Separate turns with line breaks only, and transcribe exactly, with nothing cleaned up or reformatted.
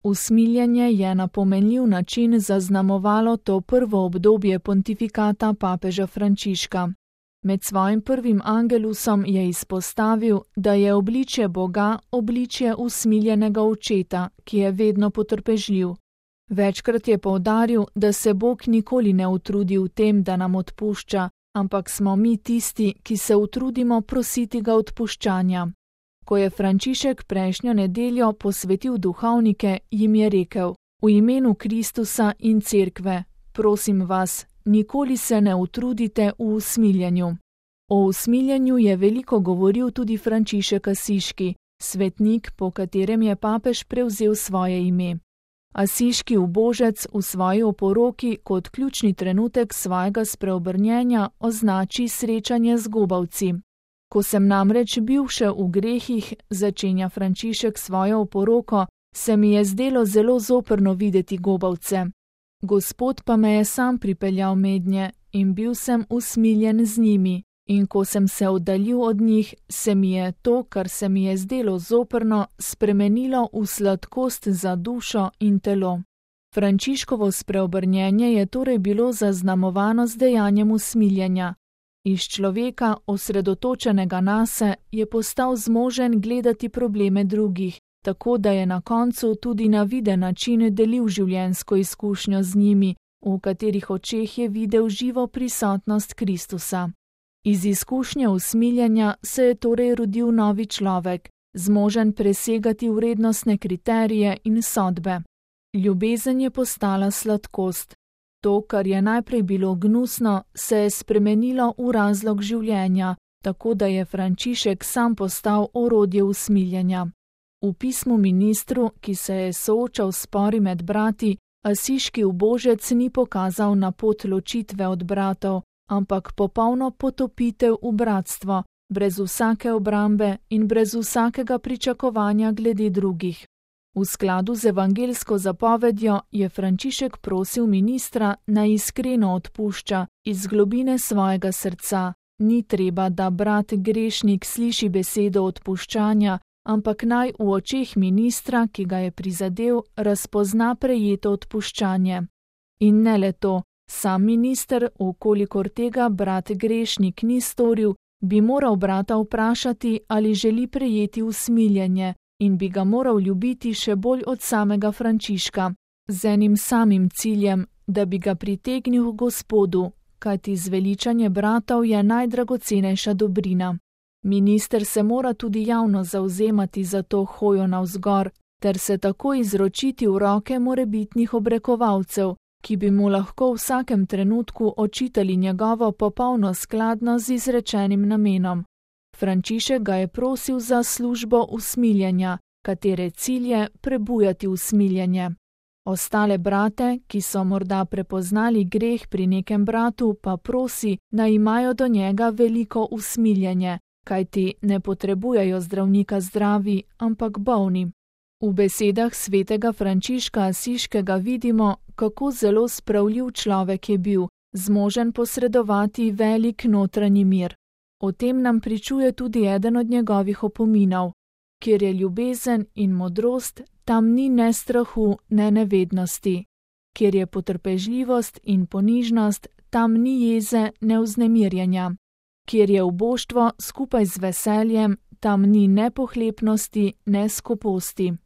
Usmiljenje je na pomenljiv način zaznamovalo to prvo obdobje pontifikata papeža Frančiška. Med svojim prvim angelusom je izpostavil, da je obličje Boga obličje usmiljenega očeta, ki je vedno potrpežljiv. Večkrat je poudaril, da se Bog nikoli ne utrudi v tem, da nam odpušča, ampak smo mi tisti, ki se utrudimo prositi ga odpuščanja. Ko je Frančišek prejšnjo nedeljo posvetil duhovnike, jim je rekel: v imenu Kristusa in Cerkve, prosim vas, nikoli se ne utrudite v usmiljenju. O usmiljenju je veliko govoril tudi Frančišek Asiški, svetnik, po katerem je papež prevzel svoje ime. Asiški ubožec v svoji oporoki kot ključni trenutek svojega spreobrnjenja označi srečanje z gobavci. Ko sem namreč bil še v grehih, začenja Frančišek svojo oporoko, se mi je zdelo zelo zoprno videti gobavce. Gospod pa me je sam pripeljal mednje in bil sem usmiljen z njimi, in ko sem se oddaljil od njih, se mi je to, kar se mi je zdelo zoprno, spremenilo v sladkost za dušo in telo. Frančiškovo spreobrnjenje je torej bilo zaznamovano z dejanjem usmiljenja. Iz človeka, osredotočenega nase, je postal zmožen gledati probleme drugih, tako da je na koncu tudi na viden način delil življenjsko izkušnjo z njimi, v katerih očeh je videl živo prisotnost Kristusa. Iz izkušnje usmiljenja se je torej rodil novi človek, zmožen presegati vrednostne kriterije in sodbe. Ljubezen je postala sladkost. To, kar je najprej bilo gnusno, se je spremenilo v razlog življenja, tako da je Frančišek sam postal orodje usmiljenja. V pismu ministru, ki se je soočal s spori med brati, asiški ubožec ni pokazal na pot ločitve od bratov, ampak popolno potopitev v bratstvo, brez vsake obrambe in brez vsakega pričakovanja glede drugih. V skladu z evangeljsko zapovedjo je Frančišek prosil ministra, naj iskreno odpušča iz globine svojega srca. Ni treba, da brat grešnik sliši besedo odpuščanja, ampak naj v očeh ministra, ki ga je prizadel, razpozna prejeto odpuščanje. In ne le to, sam minister, ukolikor tega brat grešnik ni storil, bi moral brata vprašati, ali želi prejeti usmiljenje, in bi ga moral ljubiti še bolj od samega Frančiška, z enim samim ciljem, da bi ga pritegnil k Gospodu, kajti zveličanje bratov je najdragocenejša dobrina. Minister se mora tudi javno zavzemati za to hojo navzgor, ter se tako izročiti v roke morebitnih obrekovalcev, ki bi mu lahko v vsakem trenutku očitali njegovo popolno skladnost z izrečenim namenom. Frančišek ga je prosil za službo usmiljenja, katere cilj je prebujati usmiljenje. Ostale brate, ki so morda prepoznali greh pri nekem bratu, pa prosi, naj imajo do njega veliko usmiljenje, kajti ne potrebujejo zdravnika zdravi, ampak bolni. V besedah svetega Frančiška Asiškega vidimo, kako zelo spravljiv človek je bil, zmožen posredovati velik notranji mir. O tem nam pričuje tudi eden od njegovih opominov. Kjer je ljubezen in modrost, tam ni ne strahu, ne nevednosti. Kjer je potrpežljivost in ponižnost, tam ni jeze, ne vznemirjenja. Kjer je uboštvo skupaj z veseljem, tam ni ne pohlepnosti, ne skoposti.